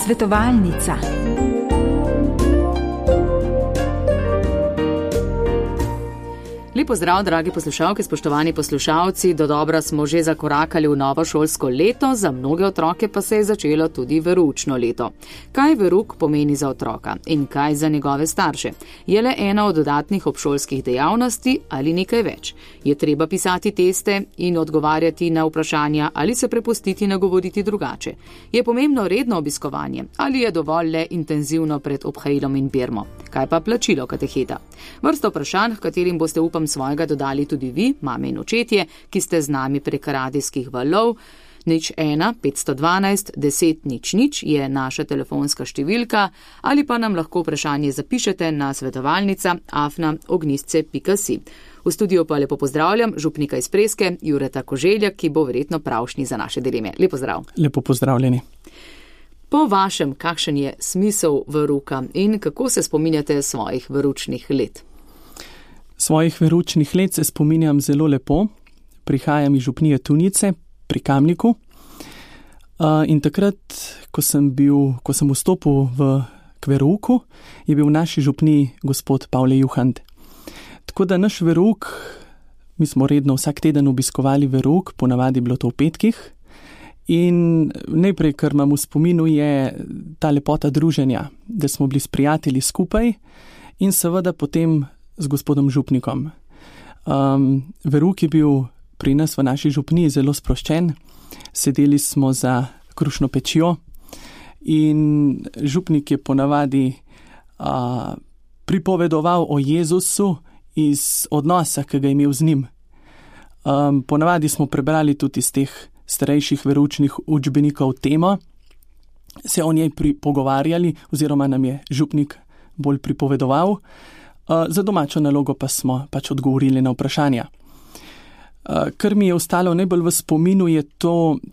Svetovalnica. Lep pozdrav, dragi poslušalke, spoštovani poslušalci. Dodobra smo že zakorakali v novo šolsko leto, za mnoge otroke pa se je začelo tudi veroučno leto. Kaj verouk pomeni za otroka in kaj za njegove starše? Je le ena od dodatnih obšolskih dejavnosti ali nekaj več? Je treba pisati teste in odgovarjati na vprašanja ali se prepustiti nagovoriti drugače? Je pomembno redno obiskovanje ali je dovolj le intenzivno pred obhajilom in birmo? Kaj pa plačilo kateheta? Vrsto vprašanj, katerim boste upam svojega dodali tudi vi, mame in očetje, ki ste z nami prek radijskih valov. 01 512 10 00 je naša telefonska številka ali pa nam lahko vprašanje zapišete na svetovalnica@ognistce.si. V studiu pa lepo pozdravljam župnika iz Preske, Jureta Koželja, ki bo verjetno pravšnji za naše dileme. Lepo pozdrav. Lepo pozdravljeni. Po vašem, kakšen je smisel verouka in kako se spominjate svojih veroučnih let? Svojih veroučnih let se spominjam zelo lepo. Prihajam iz župnije Tunice pri Kamniku. In takrat, ko sem vstopil k verouku, je bil v naši župniji gospod Pavle Juhant. Tako da naš verouk, mi smo redno vsak teden obiskovali verouk, ponavadi bilo to v petkih. In najprej, kar imam v spominu, je ta lepota druženja, da smo bili s prijatelji skupaj in seveda potem z gospodom župnikom. Verouk je bil pri nas v naši župniji zelo sproščen. Sedeli smo za krušno pečjo in župnik je ponavadi pripovedoval o Jezusu iz odnosa, ki ga je imel z njim. Ponavadi smo prebrali tudi iz teh starejših veroučnih učbenikov temo, se o njej pogovarjali oziroma nam je župnik bolj pripovedoval. Za domačo nalogo pa smo pač odgovorili na vprašanja. Kar mi je ostalo najbolj v spominu, je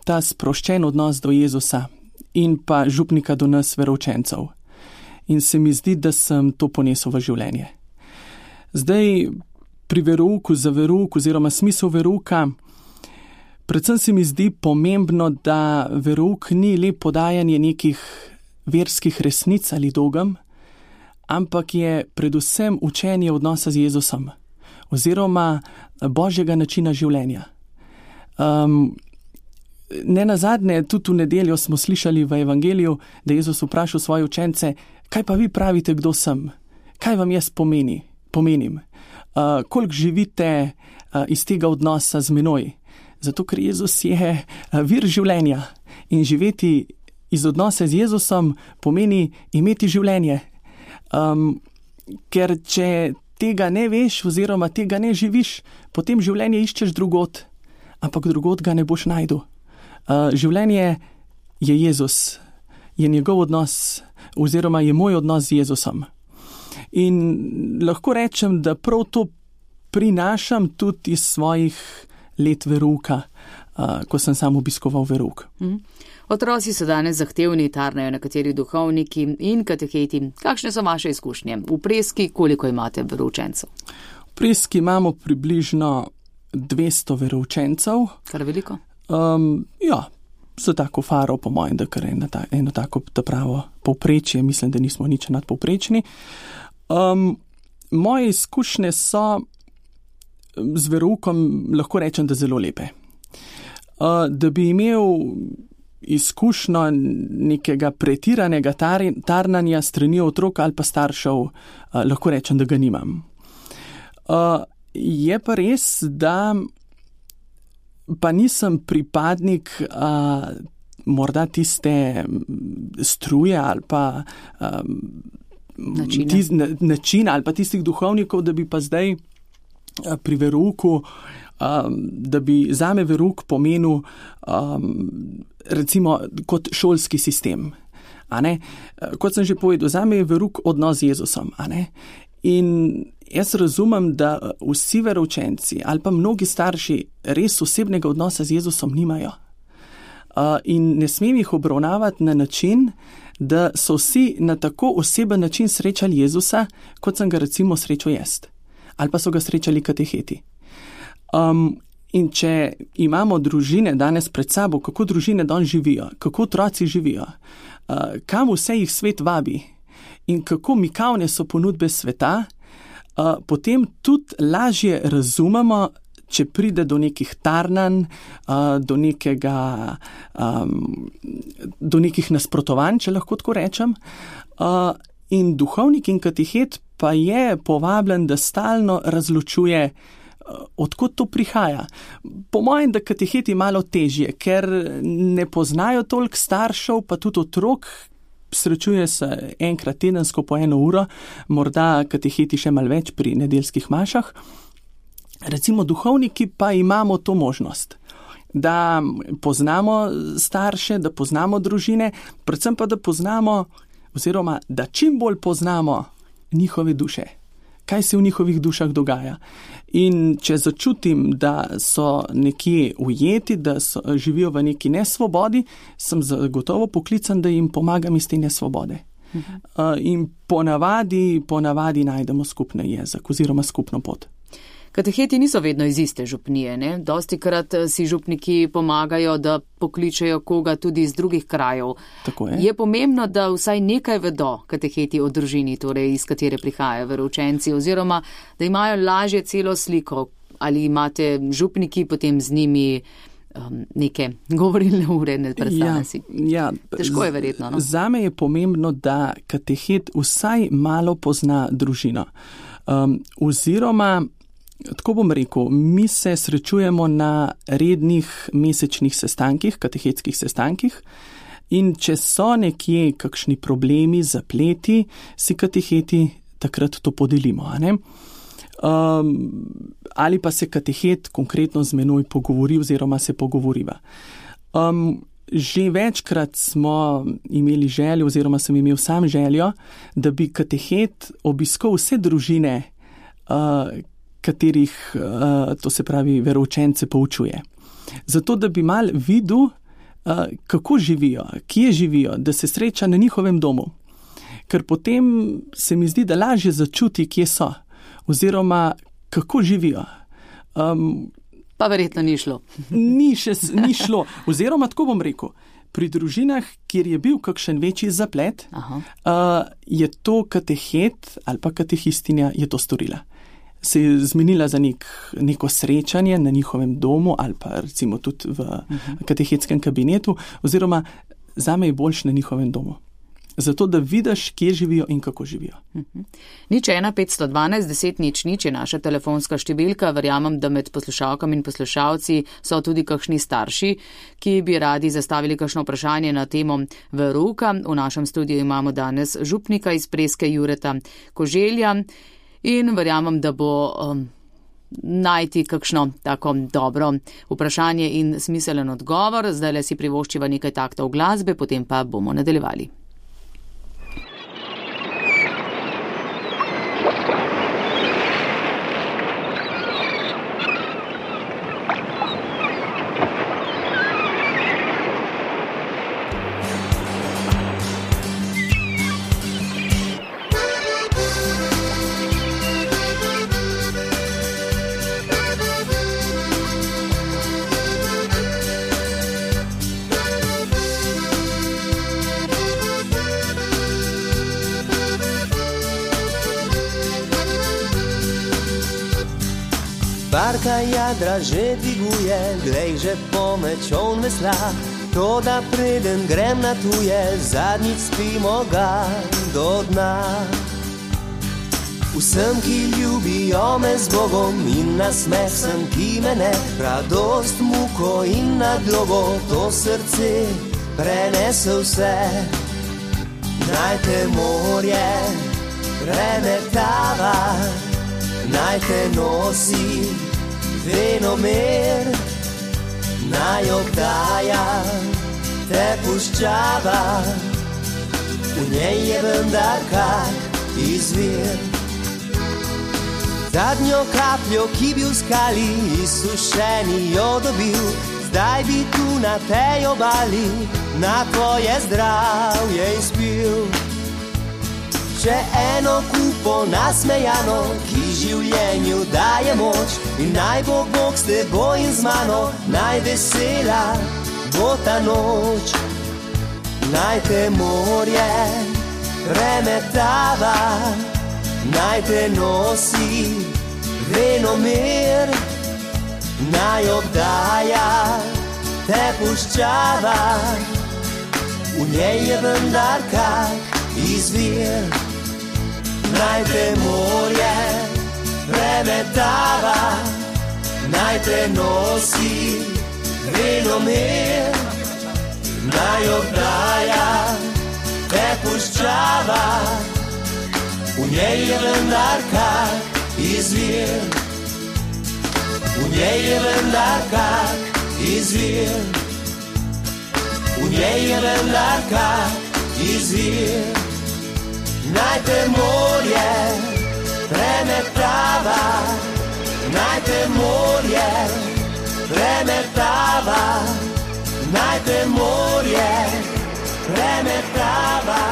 ta sproščen odnos do Jezusa in pa župnika do nas veroučencev. In se mi zdi, da sem to ponesel v življenje. Zdaj pri verouku, za verouk oziroma smisel verouka, predvsem se mi zdi pomembno, da verouk ni le podajanje nekih verskih resnic ali dogem, ampak je predvsem učenje odnosa z Jezusom oziroma božjega načina življenja. Nenazadnje, tudi v nedeljo smo slišali v evangeliju, da je Jezus vprašal svoje učence, kaj pa vi pravite, kdo sem? Kaj vam jaz pomenim? Koliko živite iz tega odnosa z menoj? Zato, ker Jezus je vir življenja in živeti iz odnosa z Jezusom pomeni imeti življenje. Ker če tega ne veš oziroma tega ne živiš, potem življenje iščeš drugod, ampak drugod ga ne boš najdel. Življenje je Jezus, je njegov odnos oziroma je moj odnos z Jezusom. In lahko rečem, da prav to prinašam tudi iz svojih let verouka, ko sem sam obiskoval verouk. Otroci so danes zahtevni, tarnajo nekateri duhovniki in kateheti. Kakšne so vaše izkušnje? V Preski koliko imate veroučencev? V Preski imamo približno 200 veroučencev. Kar veliko? Za tako faro, po mojem, da kar eno tako pravo povprečje, mislim, da nismo nič nadpovprečni. Moje izkušnje so z veroukom, lahko rečem, da zelo lepe. Da bi imel izkušnjo nekega pretiranega tarnanja strani otrok ali pa staršev, lahko rečem, da ga nimam. Je pa res, da pa nisem pripadnik morda tiste struje ali pa načina ali pa tistih duhovnikov, da bi pa zdaj pri verouku, da bi zame verouk pomenil recimo kot šolski sistem. Kot sem že povedal, zame je verouk odnos z Jezusom. In jaz razumem, da vsi veroučenci ali pa mnogi starši res osebnega odnosa z Jezusom nimajo. In ne smem jih obravnavati na način, da so vsi na tako oseben način srečali Jezusa, kot sem ga recimo srečal jaz. Ali pa so ga srečali kateheti. In če imamo družine danes pred sabo, kako družine danes živijo, kako otroci živijo, kam vse jih svet vabi in kako mikavne so ponudbe sveta, potem tudi lažje razumemo, če pride do nekih tarnanj, do nekih nasprotovanj, če lahko tako rečem. In duhovnik in katehet pa je povabljen, da stalno razločuje, odkot to prihaja. Po mojem, da kateheti malo težje, ker ne poznajo toliko staršev, pa tudi otrok, srečuje se enkrat tedensko po 1 uro, morda kateheti še malo več pri nedeljskih mašah. Recimo duhovniki pa imamo to možnost, da poznamo starše, da poznamo družine, predvsem pa da poznamo, oziroma da čim bolj poznamo njihove duše, kaj se v njihovih dušah dogaja. In če začutim, da so nekje ujeti, da živijo v neki nesvobodi, sem zagotovo poklican, da jim pomagam iz te nesvobode. In ponavadi najdemo skupni jezik oziroma skupno pot. Kateheti niso vedno iz iste župnije, ne? Dostikrat si župniki pomagajo, da pokličejo koga tudi iz drugih krajev. Tako je. Je pomembno, da vsaj nekaj vedo kateheti o družini, torej iz katere prihajajo veroučenci, oziroma da imajo lažje celo sliko. Ali imate župniki potem z njimi neke govorilne ure, ne predstavljam si. Ja, težko je verjetno. No? Zame je pomembno, da katehet vsaj malo pozna družino. Oziroma, tako bom rekel, mi se srečujemo na rednih mesečnih sestankih, katehetskih sestankih, in če so nekje kakšni problemi, zapleti, si kateheti takrat to podelimo, a ne? Ali pa se katehet konkretno z menoj pogovori oziroma se pogovoriva. Že večkrat smo imeli željo oziroma sem imel sam željo, da bi katehet obiskal vse družine, katerih, to se pravi, veroučence poučuje. Zato, da bi mal videl, kako živijo, kje živijo, da se sreča na njihovem domu. Ker potem se mi zdi, da lažje začuti, kje so, oziroma kako živijo. Pa verjetno ni šlo. Ni šlo. Oziroma, tako bom rekel, pri družinah, kjer je bil kakšen večji zaplet, je to katehet ali pa katehistinja je to storila. Se je zmenila za neko srečanje na njihovem domu ali pa recimo tudi v katehetskem kabinetu, oziroma zame je boljše na njihovem domu. Zato, da vidiš, kje živijo in kako živijo. 01 512 10 00 je naša telefonska številka. Verjamem, da med poslušalkami in poslušalci so tudi kakšni starši, ki bi radi zastavili kakšno vprašanje na temo verouka. V našem studiu imamo danes župnika iz Preske Jureta Koželja in verjamem, da bo najti kakšno tako dobro vprašanje in smiselen odgovor. Zdaj si privoščiva nekaj taktov glasbe, potem pa bomo nadaljevali. Barka jadra že dviguje, glej že pomeč on vesla, to da preden grem na tuje, zadnjič spimo ga do dna. Vsem, ki ljubijo me z Bogom in na smeh sem, ki me ne, radost, muko in nadlogo, to srce prenese vse. Naj te morje premetava, naj te nosi venomer, naj obdaja te puščava, v njej je vendar kak izvir. Zadnjo kapljo, ki bi v skali izsušeni jo dobil, zdaj bi tu na tej obali na tvoje zdravje izpil. Še eno kupo nasmejano, ki življenju daje moč, in naj bo Bog s teboj in z mano, naj vesela bo ta noč. naj te morje premetava, naj te nosi venomer, naj obdaja te puščava, v njej je vendar kak izvir. Naj te morje premetava, naj te nosi venomer, naj obdaja te puščava, v njej je vendar kak izvir. V njej je vendar kak izvir. V njej je vendar kak izvir. Naj te morje premetava, naj te morje premetava, naj te morje premetava,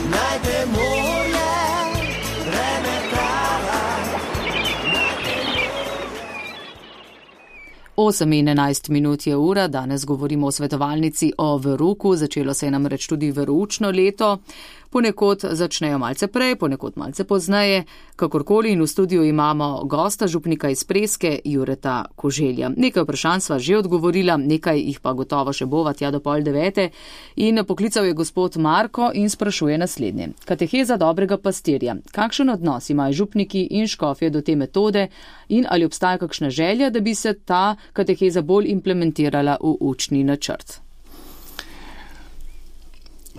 naj te morje premetava. 8:11 je ura, danes govorimo o svetovalnici o veruku, začelo se je namreč tudi veroučno leto. Ponekod začnejo malce prej, ponekod malce pozneje, kakorkoli, in v studiu imamo gosta, župnika iz Preske, Jureta Koželja. Nekaj vprašanj sva že odgovorila, nekaj jih pa gotovo še bova tja do 8:30. In poklical je gospod Marko in sprašuje naslednje. Kateheza dobrega pastirja. Kakšen odnos imajo župniki in škofje do te metode in ali obstaja kakšna želja, da bi se ta kateheza bolj implementirala v učni načrt?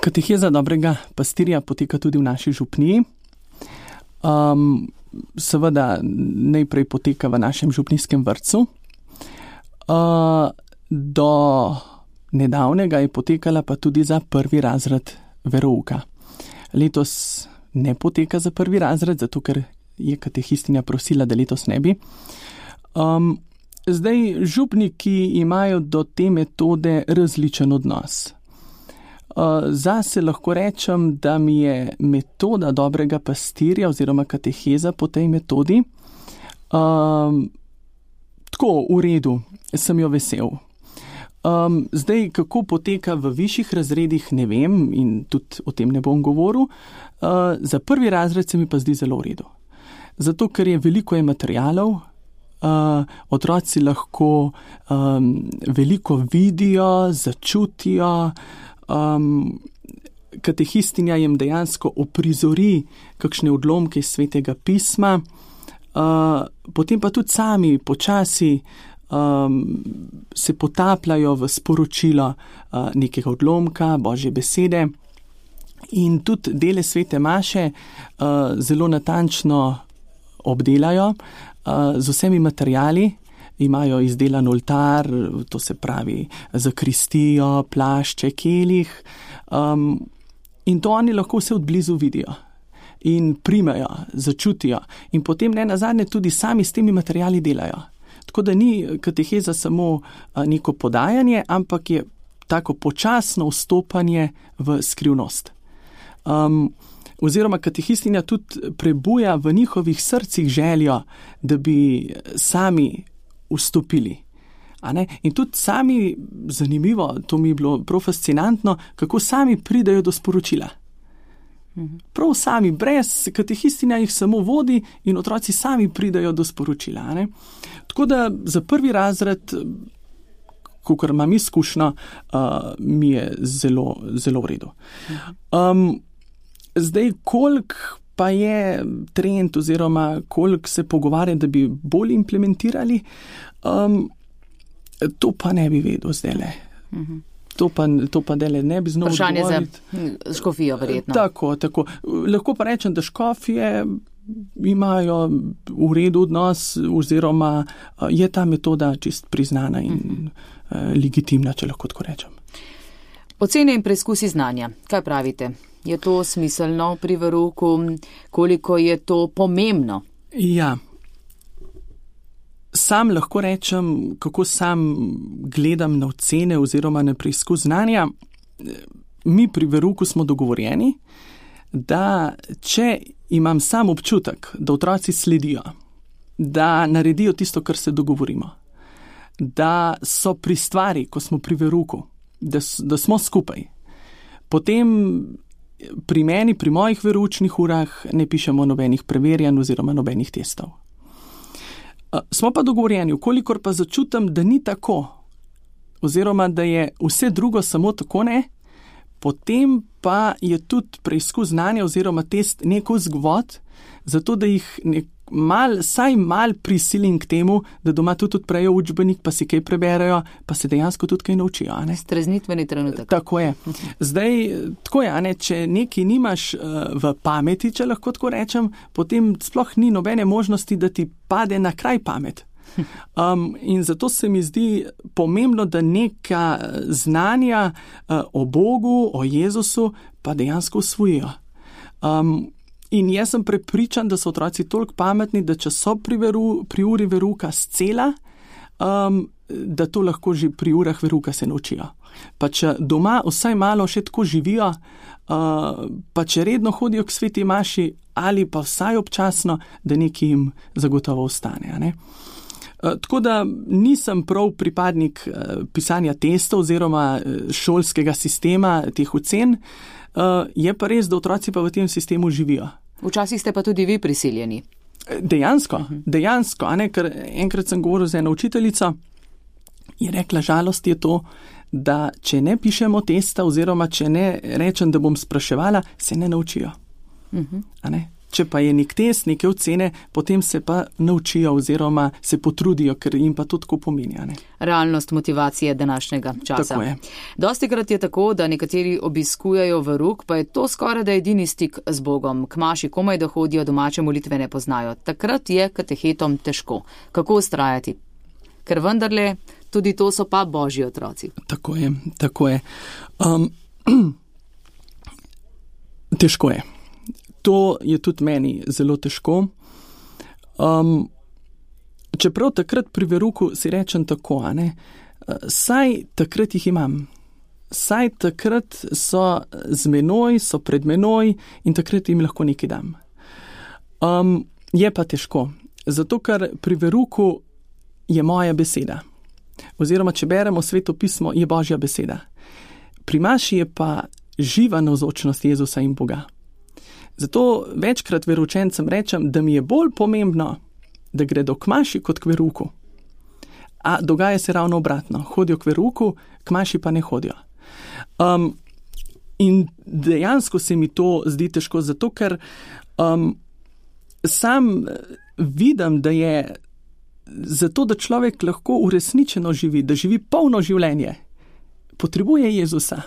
Kateheza dobrega pastirja poteka tudi v naši župniji. Seveda najprej poteka v našem župnijskem vrtcu. Do nedavnega je potekala pa tudi za 1. razred verouka. Letos ne poteka za 1. razred, zato ker je katehistinja prosila, da letos ne bi. Zdaj, župniki imajo do te metode različen odnos. Zase lahko rečem, da mi je metoda dobrega pastirja oziroma kateheza po tej metodi tako v redu, sem jo vesel. Zdaj, kako poteka v višjih razredih, ne vem in tudi o tem ne bom govoril. Za 1. razred se mi pa zdi zelo v redu. Zato, ker je veliko materialov, otroci lahko veliko vidijo, začutijo, katehistinja jim dejansko oprizori kakšne odlomke iz Svetega pisma, potem pa tudi sami počasi se potapljajo v sporočilo nekega odlomka, Božje besede, in tudi dele Svete maše zelo natančno obdelajo z vsemi materiali. Imajo izdelan oltar, to se pravi zakristijo, plašče, kelih, in to oni lahko vse odblizu vidijo in primejo, začutijo in potem ne nazadnje tudi sami s temi materiali delajo. Tako da ni kateheza samo neko podajanje, ampak je tako počasno vstopanje v skrivnost. Oziroma katehistinja tudi prebuja v njihovih srcih željo, da bi sami vstopili. In tudi sami, zanimivo, to mi je bilo prav fascinantno, kako sami pridajo do sporočila. Prav sami, brez katehistinja jih samo vodi in otroci sami pridajo do sporočila. Tako da za 1. razred, kakor imam izkušnjo, mi je zelo, zelo v redu. Zdaj, koliko pa je trend oziroma koliko se pogovarja, da bi bolj implementirali, to pa ne bi vedel zdajle. To pa dele ne bi znal odgovoriti. Vprašanje za škofijo verjetno. Tako. Lahko pa rečem, da škofije imajo v redu odnos oziroma je ta metoda čist priznana in legitimna, če lahko tako rečem. Ocene in preizkusi znanja. Kaj pravite? Je to smiselno pri verouku? Koliko je to pomembno? Ja. Sam lahko rečem, kako sam gledam na ocene oziroma na preizkus znanja. Mi pri verouku smo dogovorjeni, da če imam sam občutek, da otroci sledijo, da naredijo tisto, kar se dogovorimo, da so pri stvari, ko smo pri verouku, da smo skupaj, Potem pri meni, pri mojih veroučnih urah ne pišemo nobenih preverjanj oziroma nobenih testov. Smo pa dogovorjeni, kolikor pa začutim, da ni tako, oziroma da je vse drugo samo tako ne, potem pa je tudi preizkus znanja oziroma test neko vzvod, zato da jih vsaj mal prisilim k temu, da doma tudi odprejo učbenik, pa si kaj preberejo, pa se dejansko tudi kaj naučijo. Streznitveni trenutek. Tako je. Zdaj, tako je, če nekaj nimaš v pameti, če lahko tako rečem, potem sploh ni nobene možnosti, da ti pade na kraj pamet. In zato se mi zdi pomembno, da neka znanja o Bogu, o Jezusu, pa dejansko usvojijo. In jaz sem prepričan, da so otroci toliko pametni, da če so pri uri verouka scela, da to lahko že pri urah verouka se naučijo. Pa če doma vsaj malo še tako živijo, pa če redno hodijo k sveti maši ali pa vsaj občasno, da nekaj jim zagotovo ostane. Ne? Tako da nisem prav pripadnik pisanja testov oziroma šolskega sistema teh ocen, je pa res, da otroci pa v tem sistemu živijo. Včasih ste pa tudi vi prisiljeni. Dejansko, ker enkrat sem govoril z eno učiteljico, je rekla, žalost je to, da če ne pišemo testa oziroma če ne rečem, da bom spraševala, se ne naučijo. Če pa je nek test, neke ocene, potem se pa naučijo oziroma se potrudijo, ker jim pa to tako pomeni. Realnost motivacije današnjega časa. Tako je. Dostikrat je tako, da nekateri obiskujejo verouk, pa je to skoraj da edini stik z Bogom. Kmaši komaj da hodijo, domače molitve ne poznajo. Takrat je katehetom težko. Kako ustrajati? Ker vendarle tudi to so pa Božji otroci. Tako je. Težko je. To je tudi meni zelo težko. Čeprav takrat pri verouku si rečem tako, saj takrat jih imam. Saj takrat so z menoj, so pred menoj in takrat jim lahko nekaj dam. Je pa težko, zato ker pri verouku je moja beseda. Oziroma, če beremo Sveto pismo, je Božja beseda. Pri maši je pa živa navzočnost Jezusa in Boga. Zato večkrat veroučencem rečem, da mi je bolj pomembno, da gredo k maši kot k verouku. A dogaja se ravno obratno. Hodijo k verouku, k maši pa ne hodijo. In dejansko se mi to zdi težko, zato ker sam vidim, da je zato, da človek lahko uresničeno živi, da živi polno življenje, potrebuje Jezusa,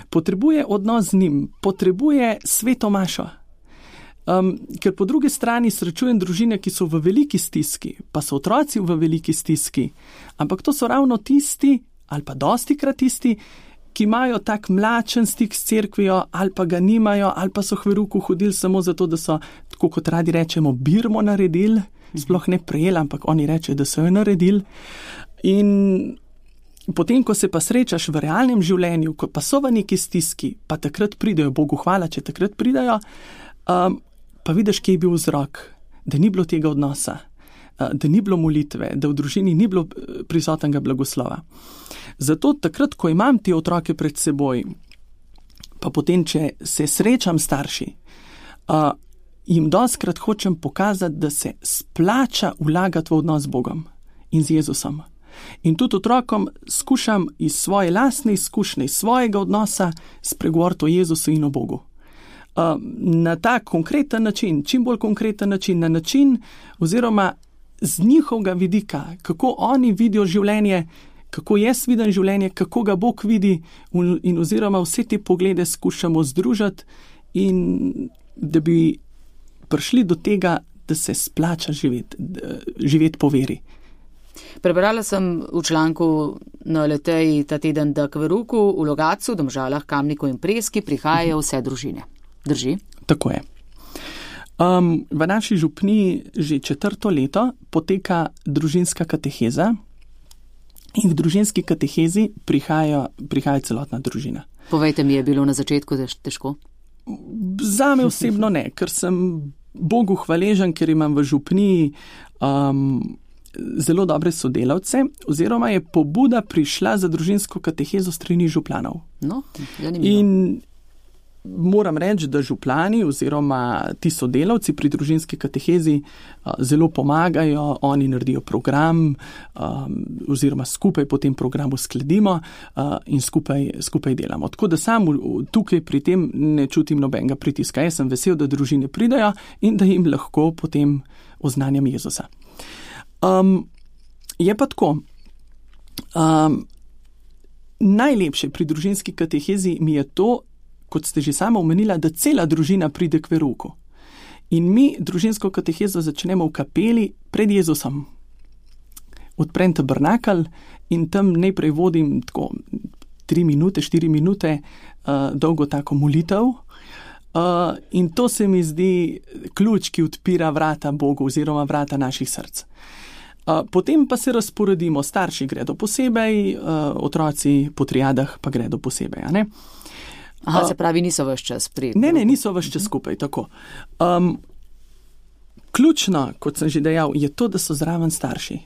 potrebuje odnos z njim, potrebuje sveto mašo. Ker po drugi strani srečujem družine, ki so v veliki stiski, pa so otroci v veliki stiski, ampak to so ravno tisti, ali pa dostikrat tisti, ki imajo tak mlačen stik s cerkvijo, ali pa ga nimajo, ali pa so k verouku hodili samo zato, da so, tako kot radi rečemo, birmo naredili, sploh ne prejeli, ampak oni rečejo, da so jo naredili. In potem, ko se pa srečaš v realnem življenju, ko pa so v neki stiski, pa takrat pridejo, Bogu hvala, če takrat pridejo, pa vidiš, kje je bil vzrok, da ni bilo tega odnosa, da ni bilo molitve, da v družini ni bilo prisotnega blagoslova. Zato takrat, ko imam te otroke pred seboj, pa potem, če se srečam starši, jim dostikrat hočem pokazati, da se splača vlagati v odnos z Bogom in z Jezusom. In tudi otrokom skušam iz svoje lastne izkušnje, iz svojega odnosa spregovoriti o Jezusu in o Bogu. Na ta konkreten način, čim bolj konkreten način, na način oziroma z njihovega vidika, kako oni vidijo življenje, kako jaz vidim življenje, kako ga Bog vidi in oziroma vse te poglede skušamo združiti in da bi prišli do tega, da se splača živeti po veri. Prebrala sem v članku na Leteji ta teden, da k verouku v Logatcu, Domžalah, Kamniku in Preski prihajajo vse družine. Drži? Tako je. V naši župniji že 4. leto poteka družinska kateheza in v družinski katehezi prihaja celotna družina. Povejte mi, je bilo na začetku težko? Zame osebno ne, ker sem Bogu hvaležen, ker imam v župniji zelo dobre sodelavce, oziroma je pobuda prišla za družinsko katehezo strani županov. No, zanimivo. In moram reči, da župani oziroma ti sodelavci pri družinski katehezi zelo pomagajo, oni naredijo program oziroma skupaj po tem programu skladimo in skupaj delamo. Tako da sam tukaj pri tem ne čutim nobenega pritiska. Jaz sem vesel, da družine pridajo in da jim lahko potem oznanjam Jezusa. Je pa tako, najlepše pri družinski katehezi mi je to, kot ste že sama omenila, da cela družina pride k verouku. In mi družinsko katehezo začnemo v kapeli pred Jezusom. Odprem tabernakelj in tam najprej vodim tako 3 minute, 4 minute dolgo tako molitev. In to se mi zdi ključ, ki odpira vrata Bogu oziroma vrata naših src. Potem pa se razporedimo, starši gredo posebej, otroci po triadah pa gredo posebej, a ne? Aha, se pravi, niso vaš čas pri... Ne, niso vaš čas skupaj, tako. Ključno, kot sem že dejal, je to, da so zraven starši.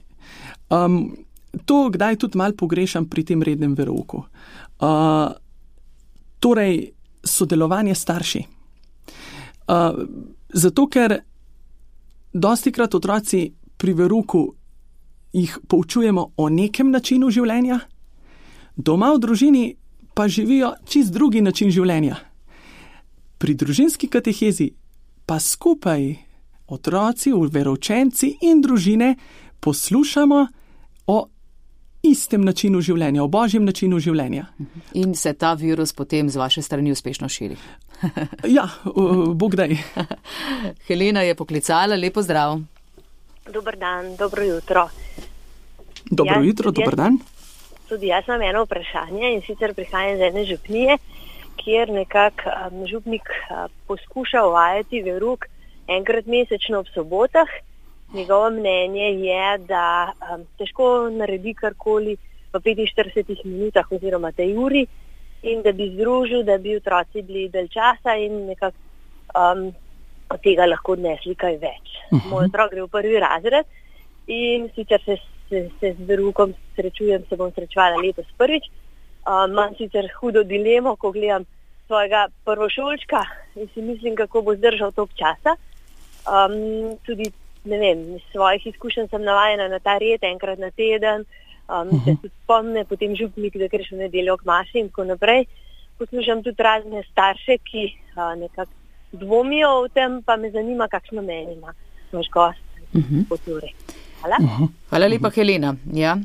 To kdaj tudi malo pogrešam pri tem rednem verouku. Torej, sodelovanje starši. Zato, ker dostikrat otroci pri verouku jih poučujemo o nekem načinu življenja, doma v družini pa živijo čist drugi način življenja. Pri družinski katehezi pa skupaj otroci, veroučenci in družine poslušamo o istem načinu življenja, o božjem načinu življenja. In se ta virus potem z vaše strani uspešno širi. Ja, Bog daj. Helena je poklicala, lepo zdrav. Dober dan, dobro jutro. Dobro jutro, dober dan. Tudi jaz imam eno vprašanje in sicer prihajam iz ene župnije, kjer nekako župnik poskuša uvajati verouk enkrat mesečno ob sobotah. Njegovo mnenje je, da težko naredi karkoli v 45 minutah oziroma tej uri in da bi združil, da bi otroci bili dalj časa in nekako od tega lahko odnesli kaj več. Moj otrok gre v 1. razred in sicer se z veroukom se bom srečevala letos prvič. Imam sicer hudo dilemo, ko gledam svojega prvošolčka in si mislim, kako bo zdržal toliko časa. Tudi, ne vem, iz svojih izkušenj sem navajena na ta red enkrat na teden, se tudi spomne, potem župnik, da greš v nedeljo k maši in tako naprej. Poslušam tudi razne starše, ki nekako dvomijo o tem, pa me zanima, kakšno mnenje ima naš gost po turi. Hvala. Hvala lepa, Helena. Ja,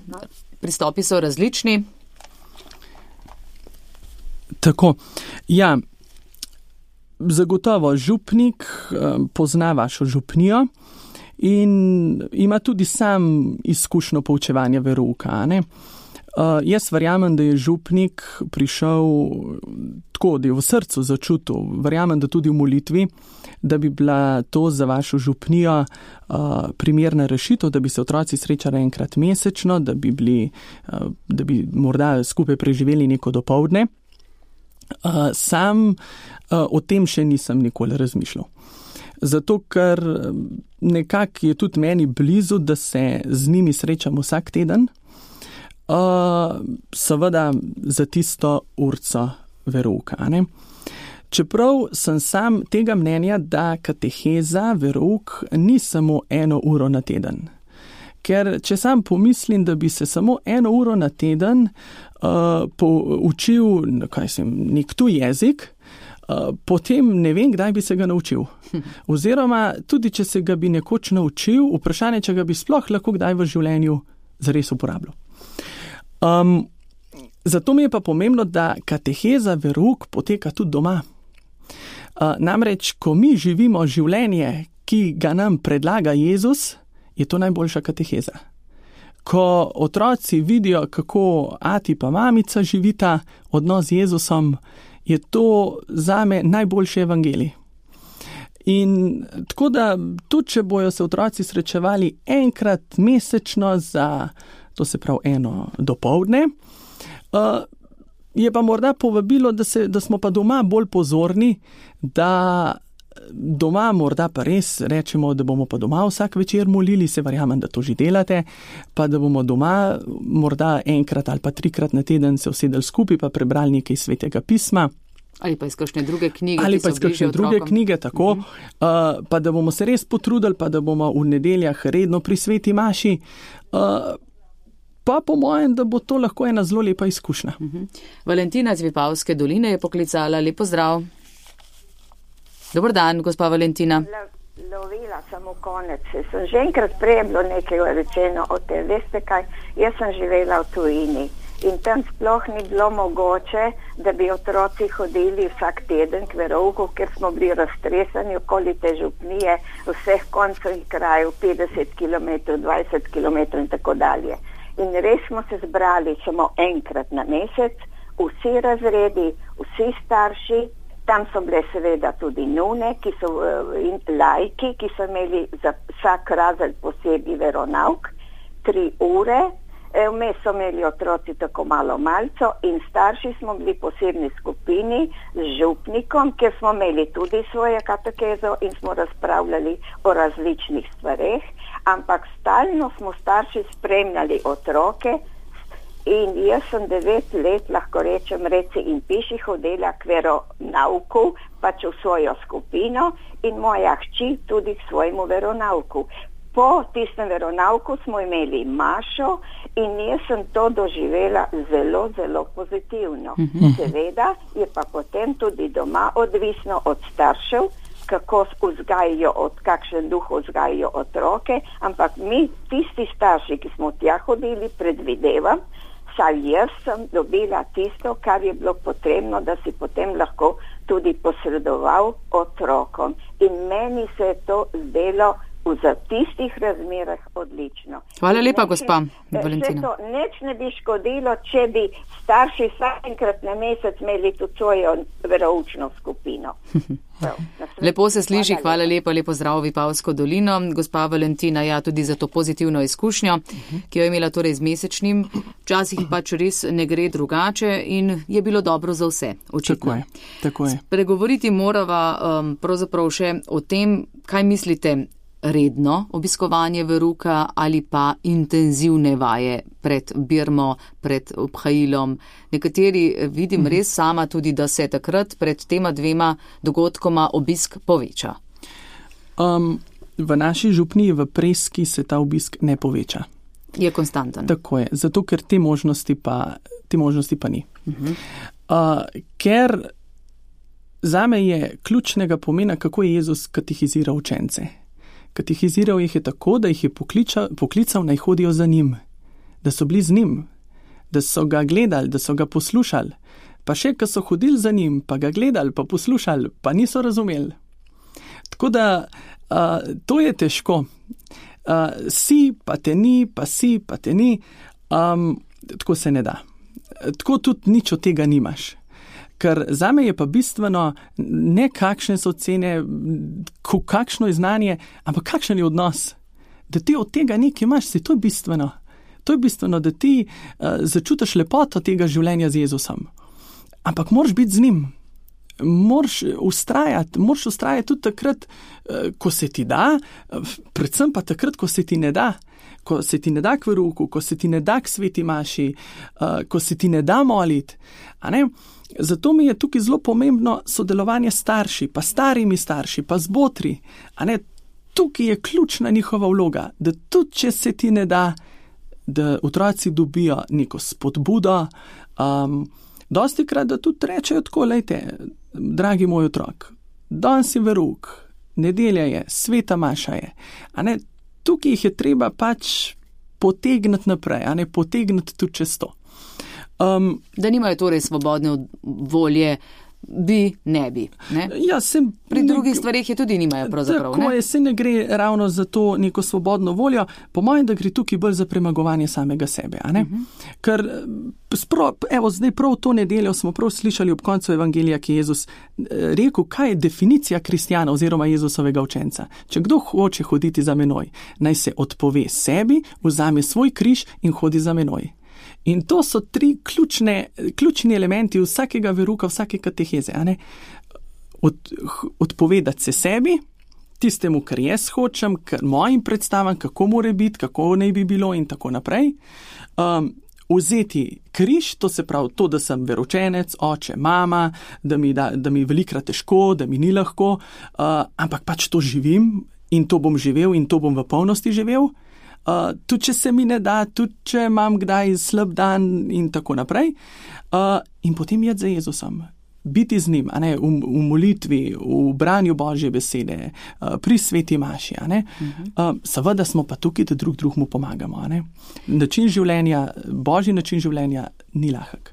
pristopi so različni. Tako, ja, zagotovo župnik pozna vašo župnijo in ima tudi sam izkušnjo poučevanja verouka, ne? Jaz verjamem, da je župnik prišel tako, da je v srcu začutil, verjamem, da tudi v molitvi, da bi bila to za vašo župnijo primerna rešitev, da bi se otroci srečali enkrat mesečno, da bi morda skupaj preživeli neko dopoldne. Sam o tem še nisem nikoli razmišljal. Zato, ker nekako je tudi meni blizu, da se z njimi srečam vsak teden, seveda za tisto urco verouka, ne? Čeprav sem sam tega mnenja, da kateheza, verouk ni samo 1 uro na teden. Ker če sam pomislim, da bi se samo 1 uro na teden poučil nek tuj jezik, potem ne vem, kdaj bi se ga naučil. Oziroma, tudi če se ga bi nekoč naučil, vprašanje, če ga bi sploh lahko kdaj v življenju zares uporabljal. Zato mi je pa pomembno, da kateheza, verouk poteka tudi doma. Namreč, ko mi živimo življenje, ki ga nam predlaga Jezus, je to najboljša kateheza. Ko otroci vidijo, kako ati pa mamica živita odnos z Jezusom, je to zame najboljši evangelij. In tako da, tudi če bojo se otroci srečevali enkrat mesečno za, to se pravi, 1 dopoldne, je pa morda povabilo, da smo pa doma bolj pozorni, da doma morda pa res rečemo, da bomo pa doma vsak večer molili, se verjamem, da to že delate, pa da bomo doma morda enkrat ali pa 3-krat na teden se usedeli skupaj pa prebrali nekaj svetega pisma. Ali pa iz kakšne druge knjige. Ali pa iz kakšne druge knjige, tako. Pa da bomo se res potrudili, pa da bomo v nedeljah redno pri sveti maši. Pa po mojem, da bo to lahko ena zelo lepa izkušnja. Valentina iz Vipavske doline je poklicala. Lep pozdrav. Dober dan, gospa Valentina. Lovila sem v konec. Sem že enkrat prej bilo nekaj rečeno o tem. Veste kaj, jaz sem živela v tujini in tam sploh ni bilo mogoče, da bi otroci hodili vsak teden k verouku, ker smo bili raztresani okoli te župnije, vseh koncev in krajev, 50 km, 20 km in tako dalje. In res smo se zbrali samo enkrat na mesec, vsi razredi, vsi starši, tam so bile seveda tudi nune, ki so in lajki, ki so imeli za vsak razred posebej veronauk, 3 ure, vmes so imeli otroci tako malo malco in starši smo bili posebni skupini z župnikom, ker smo imeli tudi svoje katekezo in smo razpravljali o različnih stvareh, ampak stalno smo starši spremljali otroke in jaz sem 9 let, lahko rečem, reci in piši, hodila k veronauku, pač v svojo skupino in moja hči tudi k svojemu veronauku. Po tistem veronauku smo imeli mašo in jaz sem to doživela zelo, zelo pozitivno. Seveda je pa potem tudi doma odvisno od staršev, kako vzgajajo, kakšen duh vzgajajo otroke, ampak mi, tisti starši, ki smo tja hodili, predvidevam, saj jaz sem dobila tisto, kar je bilo potrebno, da si potem lahko tudi posredoval otrokom. In meni se je to zdelo v tistih razmerah odlično. Hvala lepa, gospa Valentina. To nič ne bi škodilo, če bi starši vsakenkrat na mesec imeli tudi svojo veroučno skupino. Lepo se sliši, hvala lepa, lepo zdrav v Vipavsko dolino. Gospa Valentina, ja, tudi za to pozitivno izkušnjo, ki jo je imela torej z mesečnim. Včasih pač res ne gre drugače in je bilo dobro za vse, očitno. Tako je. Pregovoriti morava pravzaprav še o tem, kaj mislite, redno obiskovanje veruka ali pa intenzivne vaje pred birmo, pred obhajilom. Nekateri vidim res sama tudi, da se takrat pred tema 2 dogodkoma obisk poveča. V naši župniji v Preski se ta obisk ne poveča. Je konstanten. Tako je, zato ker te možnosti pa ni. Ker zame je ključnega pomena, kako je Jezus katehiziral učence. Katehiziral jih je tako, da jih je poklical, naj hodijo za njim, da so bili z njim, da so ga gledali, da so ga poslušali, pa še, ko so hodili za njim, pa ga gledali, pa poslušali, pa niso razumeli. Tako da to je težko. Si, pa te ni, pa si, pa te ni, tako se ne da. Tako tudi nič od tega nimaš. Ker zame je pa bistveno ne kakšne so ocene, kakšno je znanje, ampak kakšen je odnos. Da ti od tega nekaj imaš, to je bistveno. To je bistveno, da ti začutiš lepoto tega življenja z Jezusom. Ampak moraš biti z njim. Moraš ustrajati tudi takrat, ko se ti da, predvsem pa takrat, ko se ti ne da. Ko se ti ne da k verouku, ko se ti ne da k sveti maši, ko se ti ne da moliti. Zato mi je tukaj zelo pomembno sodelovanje starši, pa starimi starši, pa z botri. Tukaj je ključna njihova vloga, da tudi če se ti ne da, da otroci dobijo neko spodbudo, dostikrat, da tudi rečejo tako, lejte, dragi moj otrok, danes je verouk, nedelja je, sveta maša je. Tukaj jih je treba pač potegniti naprej, potegniti tudi čez to. Da nimajo torej svobodne volje, ne bi. Ne? Ja, pri drugih stvarih je tudi nimajo pravzaprav. Tako je, se ne gre ravno za to neko svobodno voljo, po mojem, da gre tukaj bolj za premagovanje samega sebe. Ker zdaj prav to nedeljo smo prav slišali ob koncu evangelija, ki je Jezus rekel, kaj je definicija kristjana oziroma Jezusovega učenca. Če kdo hoče hoditi za menoj, naj se odpove sebi, vzame svoj križ in hodi za menoj. In to so 3 ključni elementi vsakega veruka, vsake kateheze. Odpovedati se sebi, tistemu, kar jaz hočem, mojim predstavam, kako more biti, kako naj bi bilo in tako naprej. vzeti križ, to se pravi to, da sem veroučenec, oče, mama, da mi velikrat težko, da mi ni lahko, ampak pač to živim in to bom živel in to bom v polnosti živel. Tudi če se mi ne da, tudi če imam kdaj slab dan in tako naprej. In potem jeti za Jezusom. Biti z njim, v molitvi, v branju Božje besede, pri sveti maši. Seveda smo pa tukaj, da drugmu pomagamo. Način življenja, Božji način življenja ni lahek.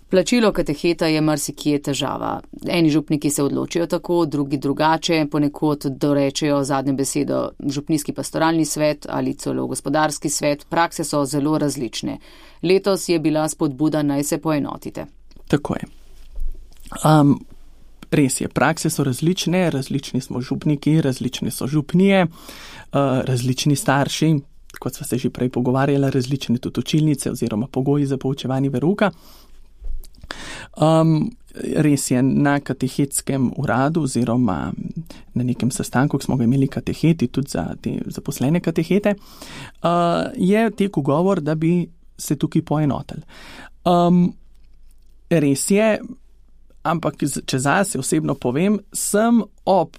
Plačilo kateheta je marsikje težava. Eni župniki se odločijo tako, drugi drugače, ponekod dorečejo zadnjo besedo župnijski pastoralni svet ali celo gospodarski svet. Prakse so zelo različne. Letos je bila spodbuda, naj se poenotite. Tako je. Res je, prakse so različne, različni smo župniki, različne so župnije, različni starši, kot sva se že prej pogovarjala, različne tudi učilnice oziroma pogoji za poučevanje verouka. Res je, na katehetskem uradu oziroma na nekem sestanku, ko smo ga imeli kateheti, tudi za te zaposlene katehete, je tekel govor, da bi se tukaj poenotili. Res je, ampak če zase osebno povem, sem ob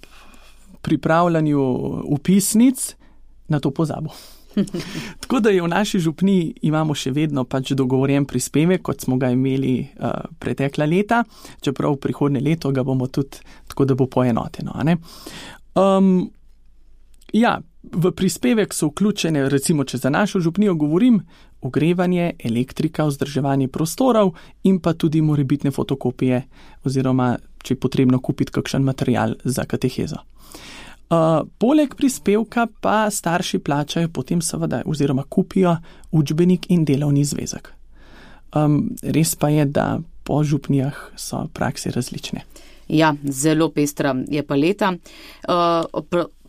pripravljanju vpisnic na to pozabil. Tako da je v naši župniji imamo še vedno pač dogovorjen prispevek, kot smo ga imeli pretekla leta, čeprav prihodnje leto ga bomo tudi tako, da bo poenoteno. V prispevek so vključene, recimo, če za našo župnijo govorim, ogrevanje, elektrika, vzdrževanje prostorov in pa tudi morebitne fotokopije oziroma, če je potrebno kupiti kakšen material za katehezo. Poleg prispevka pa starši plačajo potem seveda oziroma kupijo učbenik in delovni zvezek. Res pa je, da po župnijah so prakse različne. Ja, zelo pestra je paleta.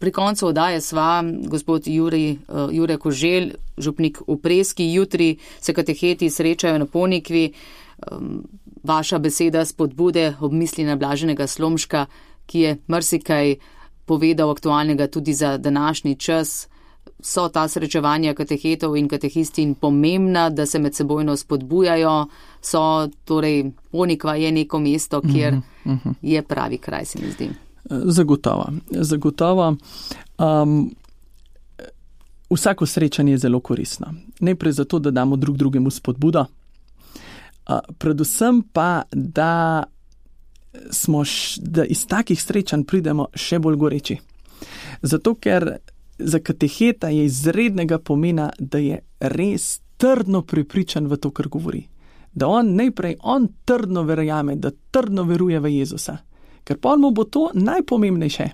Pri koncu oddaje sva gospod Jure Koželj, župnik v Preski. Jutri se kateheti srečajo na Ponikvi. Vaša beseda spodbude ob misli na Blaženega Slomška, ki je marsikaj povedal aktualnega tudi za današnji čas. So ta srečevanja katehetov in katehistin pomembna, da se med sebojno spodbujajo, torej Ponikva je neko mesto, kjer je pravi kraj, se mi zdi. Zagotovo. Vsako srečanje je zelo koristno. Najprej zato, da damo drugemu spodbudo, predvsem pa, da iz takih srečanj pridemo še bolj goreči. Zato, ker za kateheta je izrednega pomena, da je res trdno prepričan v to, kar govori. Da najprej on trdno verjame, da trdno veruje v Jezusa. Ker pol mu bo to najpomembnejše.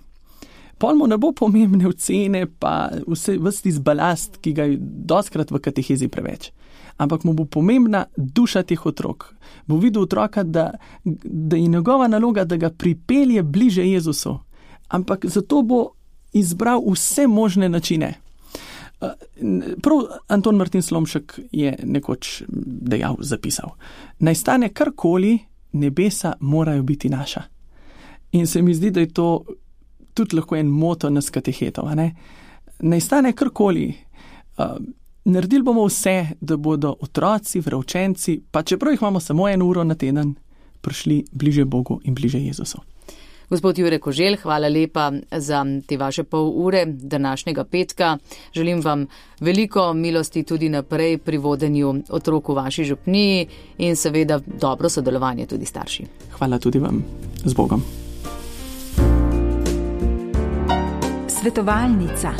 Pol mu ne bo pomembne ocene, pa ves tisti balast, ki ga je dostkrat v katehezi preveč. Ampak mu bo pomembna duša teh otrok. Bo videl otroka, da je njegova naloga, da ga pripelje bliže Jezusu. Ampak zato bo izbral vse možne načine. Prav Anton Martin Slomšek je nekoč zapisal: naj stane karkoli, nebesa morajo biti naša. In se mi zdi, da je to tudi lahko en moto nas katehetov. Naj stane karkoli, naredili bomo vse, da bodo otroci, veroučenci, pa čeprav jih imamo samo 1 uro na teden, prišli bliže Bogu in bliže Jezusu. Gospod Jure Koželj, hvala lepa za te vaše pol ure današnjega petka. Želim vam veliko milosti tudi naprej pri vodenju otrok v vaši župniji in seveda dobro sodelovanje tudi starši. Hvala tudi vam. Z Bogom. Svetovalnica.